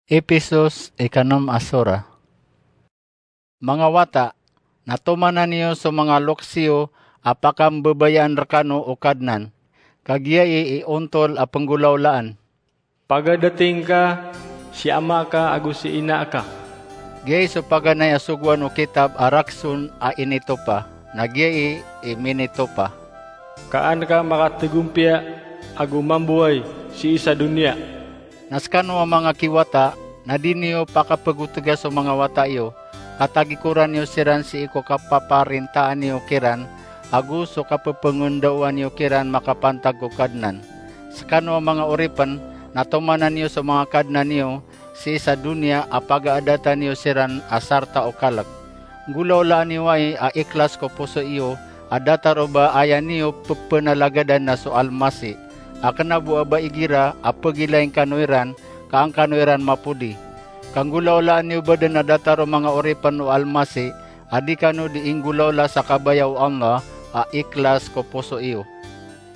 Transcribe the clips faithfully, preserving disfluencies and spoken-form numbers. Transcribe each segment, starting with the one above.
Episos ikanom a sora. Manga wata, na tomanan iyo so manga loks iyo a pakambabayaan rekano o Kadnan, ka giyai i ontol a penggolawlaan. Pagadating ka si ama ka ago si ina ka. Giyai so paganay a sogoan o kitab a Rakson a initopa, na giyai i minitopa. Ka an ka makategompiya ago mamboway sii sa doniya. Na sekano a manga kiwata, na di niyo pakapegotega so manga wata iyo, ka tagikoran iyo siran sii ko kapaparintaan iyo kiran, ago so kapepengendaowan iyo kiran makapantag ko Kadnan. Sekano a manga oripen, na tomanan iyo so manga kadnan iyo sii sa doniya a pagaadatan iyo siran a sarta o kalek. Nggolawlaan iyo ai a ikhlas ko poso iyo a datar o ba aya niyo pepenalagadan na so Almasi, a kena bo a ba igira a pegilain kano iran, ka an kano iran mapodi. Ka nggolawlaan iyo bo den a datar o manga oripen o Almasi, a di kano di inggolawla sa kabaya o Allah a ikhlas ko poso iyo.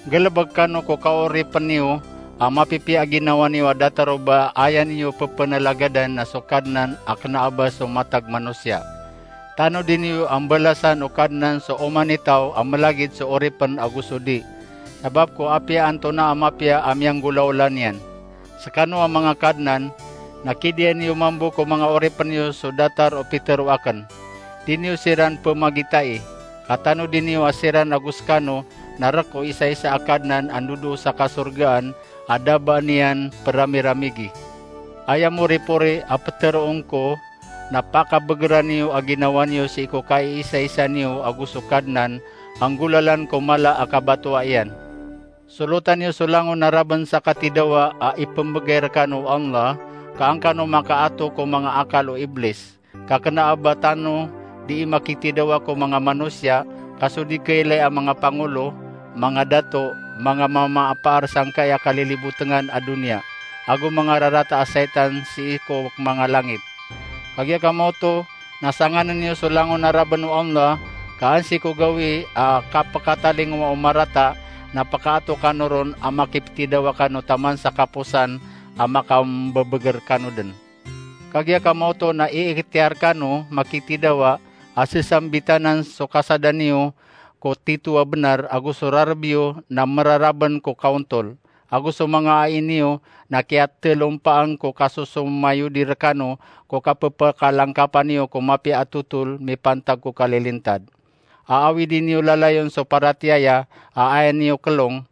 Nggalebek kano ko kaoripen iyo a mapipiya a ginawa niyo a datar o ba aya niyo pepenalagadan na so Kadnan a kena a ba so matag manosiya. Tanodi niyo a mbalasan o Kadnan so oman i taw a melagid so oripen ago so di, sabap ko apiya antonaa a mapiya a miyanggolawla niyan. Sekano a manga kadnan, na kidiya niyo mambo ko manga oripen iyo so datar o pitero aken. Di niyo siran pemagitai, ka tanodi niyo a siran ago sekano na rek o isaisa a Kadnan a ndodoo sa kasorgaan a da ba niyan peramiramigi. Aya moripori a peteroon ko, na pakabegeran iyo a ginawa niyo sii ko kaiisaisa niyo ago so Kadnan a nggolalan ko mala a kabatoa iyan. Solotan iyo so langon a raben sa katidawa a ipembegay rekano o Allah, ka an kano makaato ko manga akal o Iblis. Ka kena a ba tano dii makitidawa ko manga manosiya, ka so di kailay a manga pangolo, manga dato, manga mamaapaar sangkai a kalilibotengan a doniya, ago manga rarata a saitan sii ko manga langit. Kagiya ka maoto, na sanganen iyo so langon a raben o Allah, ka an sii ko gawii a kapekatalingowa o marata, na pekaato kano ron a makipetidawa kano taman sa kaposan a makambebeger kano den. Kagiya ka maoto na iiktiyar kano makitidawa a sesambitanan so kasada niyo ko tito a benar, ago so rareb iyo na meraraben ko kaontol, ago so manga ai niyo na kiyatelompaan ko kasosomayodi rekano ko kapepakalangkapan iyo ko mapiya a totol mipantag ko kalilintad. A awidi niyo lalayon so paratiyaya a aya niyo kelong,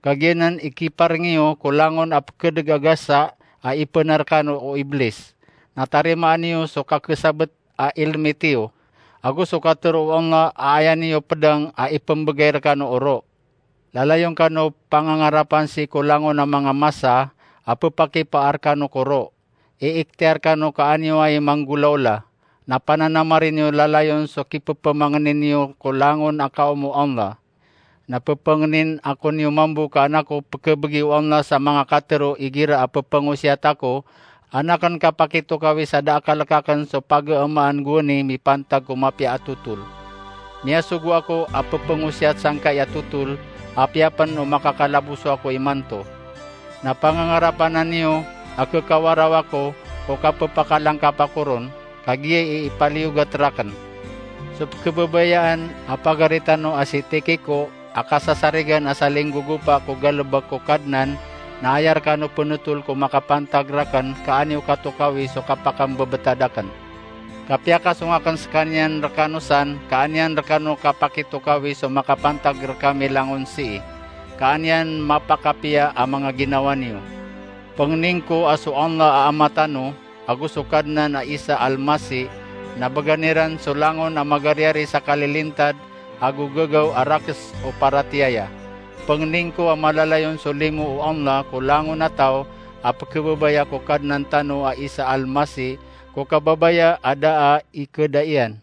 ka giyanan ikipareng iyo ko langon a pekedeg a gasa a ipenar kano o Iblis. Na tarimaan iyo so kakesabet a ilmit iyo, ago so katero o Allah a aya niyo pedang a ipembegay rekano o ro. Lalayon kano pangangarapan sii ko langon a manga masa a pepakipaar kano ko ro. Iiktiyar kano ka an iyo ai manggolawla. Na pananamari niyo lalayon so kipepemangenin iyo ko langon a kaom o Allah. Na pepengenin ako niyo mambo ka an ako pekebegi o Allah sa manga katero igira a pepengosiyat ako, an aken kapakitokawi sa da a kalek aken so pageemaan gowani mipantag ko mapiya a totol. Miyasogo ako a pepengosiyat sangkai a totol, apiya pen o makakalaboso ako imanto. Na pangangarapan niyo a kekawaraw ako ko kapepakalangkap ako ron, ka giyai i ipaliyogat raken. So pekebabayaan a pagari tano a si Tikiko a kasasarigan a salinggogopa ko galebek ko Kadnan, na aya rekano penotol ko makapantag raken ka an iyo katokawi so kapakambebetad aken. Ka piyakasong aken sekaniyan rekano san, ka an iyan rekano kapakitokawi so makapantag rekami langon sii, ka an iyan mapakapiya a manga ginawa niyo. Pengenin ko a so Allah a Ama tano, ago so Kadnan a Isa Almasi, na began iran so langon a magariyari sa kalilintad ago gagaw a rakes o paratiyaya. Pengenin ko a malalayon so limo o Allah ko langon a taw a pekebebaya ko Kadnan tano a Isa Almasi, ko kababaya a da a ikeda iyan.